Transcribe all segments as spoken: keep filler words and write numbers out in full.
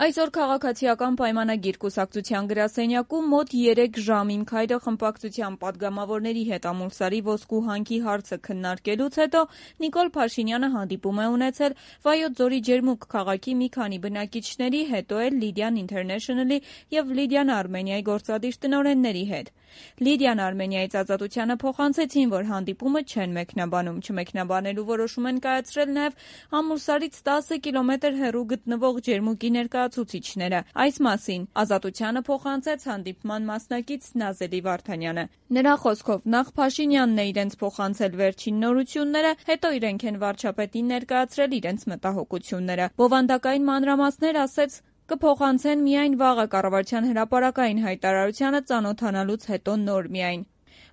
Այսօր քաղաքացիական պայմանագիր կուսակցության գրասենյակում մոտ երեք ժամ «Իմ քայլը» խմբակցության պատգամավորների հետ Ամուլսարի ոսկու հանքի հարցը քննարկելուց հետո Նիկոլ Փաշինյանը հանդիպում է ունեցել Վայոց ձորի Ջերմուկ քաղաքի մի քանի բնակիչների, հետո էլ Լիդիան Ինթերնեշնլի և Լիդիան Արմենիայի գործադիր տնօրենների հետ։ Լիդիան Արմենիայից Ազատությանը փոխանցեցին, որ հանդիպումը չեն մեկնաբանում, չմեկնաբանելու որոշում են կայացրել նաև Ամուլսարից տասը կիլոմետր հեռու գտնվող Ջերմուկի ներկայացուցիչները։ Այս մասին Ազատությանը փոխանցեց հանդիպման մասնակից Նազելի Վարդանյանը։ Նրա խոսքով նախ Փաշինյանն է իրենց փոխանցել վերջին նորությունները, հետո իրենք են վարչապետին ներկայացրել իրենց մտահոգությունները։ Բովանդակային մանրամասներ, ասեց, կփոխանցեն միայն վաղը կառավարության հրապարակային հայտարարությանը ծանոթանալուց հետո նոր միայն։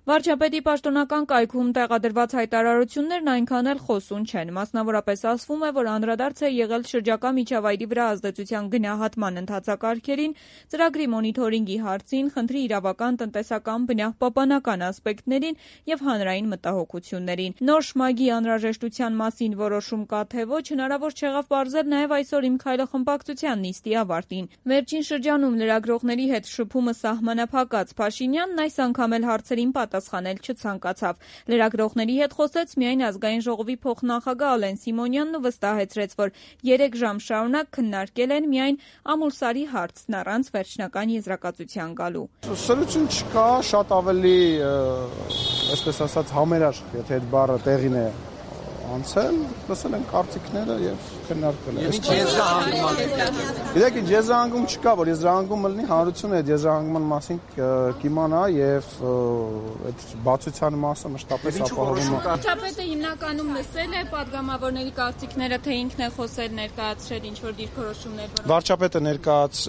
Վարչապետի պաշտոնական կայքում տեղադրված հայտարարություններն այնքան էլ խոսուն չեն։ Մասնավորապես ասվում է, որ անդրադարձ է եղել շրջակա միջավայրի վրա ազդեցության գնահատման ընթացակարգերին, ծրագրի մոնիթորինգի հարցին, խնդրի իրավական, տնտեսական, բնապահպանական ասպեկտներին և հանրային մտահոգություններին։ Նոր շմագի անհրաժեշտության մասին որոշում կա թե ոչ, հնարավոր չեղավ պարզել նաև այսօր «Իմ քայլը» խմբակցության նիստի ավարտին։ Վերջին շրջանում լրագրողների հետ շփումը սահմանափակած Փաշինյանն այս անգամ էլ հարցերին պատասխանել չցանկացավ։ Լրագրողների հետ խոսեց միայն Ազգային ժողովի փոխնախագահ Ալեն Սիմոնյանն ու վստահեցրեց, որ երեք ժամ շարունակ քննարկել են միայն Ամուլսարի հարցն առանց վերջնական եզրակացության գալու։ Սրություն չկա, շատ ավելի, այսպես ասած, համերաշխ, եթե այդ բառը տեղին է անցել, լսել են կարծիքները եւ քննարկել են։ Ինչ եզրահանգում։ Գիտեք, ինչ եզրահանգում չկա, որ եզրահանգումը լինի, հանրությունը այդ եզրահանգման մասին կիմանա եւ այդ բացության մասը մշտապես ապահովում է։ Վարչապետը հիմնականում լսել է պատգամավորների կարծիքները, թե ինքն է խոսել, ներկայացրել ինչ որ դիրքորոշումներ։ Վարչապետը ներկայաց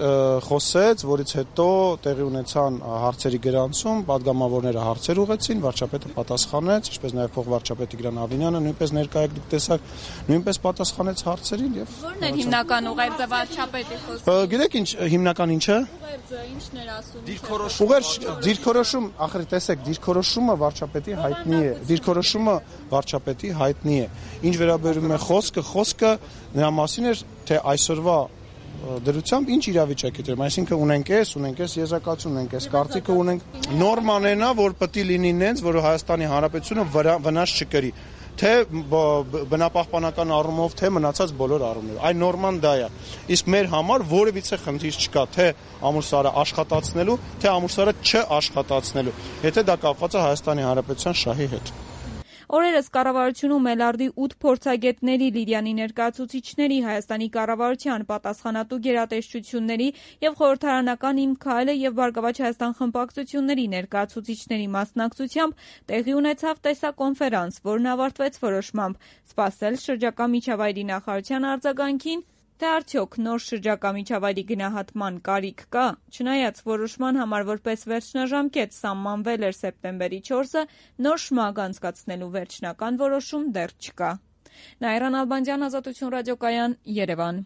խոսեց, որից հետո տեղի ունեցան հարցերի գրանցում, պատգամավորները հարցեր ուղեցին, վարչապետը պատասխանեց, ինչպես նաեւ փոխվարչապետ Տիգրան Ավինյանը նույնպես ներկայ տեսակ նույնպես պատասխանեց հարցերին եւ Որն է հիմնական ուղերձը վարչապետի խոսքը։ Գիտեք ինչ հիմնական ինչը։ Ուղերձը ինչն էր ասում։ Դիրքորոշում։ Ուղերձ դիրքորոշում, ախր տեսեք, դիրքորոշումը վարչապետի հայտնի է։ Դիրքորոշումը վարչապետի հայտնի է։ Ինչ վերաբերում է խոսքը, խոսքը նրա մասին էր, թե այսօրվա դրությամբ ինչ իրավիճակի դրում, այսինքն ունենք էս, ունենք էս եզրակացություն, ունենք էս կարծիքը, ունենք նորմանենա, որ պետք է լինի նենց, որ Հայաստանի Հանրապետությունը վնաս չկրի, թե բնապահպանական առումով, թե մնացած բոլոր առումներով։ Այն նորման դա է։ Իսկ մեր համար որևիցե խնդիր չկա, թե Ամուլսարը աշխատացնելու, թե Ամուլսարը չաշխատացնելու, եթե դա կապված է Հայաստանի Հանրապետության շահի հետ։ Օրերս կառավարությունում Էլարդի ութ փորձագետների, Լիդիանի ներկայացուցիչների, Հայաստանի կառավարության պատասխանատու գերատեսչությունների և խորհրդարանական «Իմ քայլը» և «Բարգավաճ Հայաստան» խմբակցությունների ներկայացուցիչների մասնակցությամբ տեղի ունեցավ տեսակոնֆերանս, որն ավարտվեց որոշմամբ սպասել շրջակա միջավայրի նախարարության արձագանքին, թե արդյոք նոր շրջակա միջավայրի գնահատման կարիք կա։ Չնայած որոշման համար որպես վերջնաժամկետ սահմանվել էր սեպտեմբերի չորսը, նոր շմագ անցկացնելու վերջնական որոշում դեռ չկա։ Նաիրա Նալբանդյան, Ազատություն ռադիոկայան, Երևան։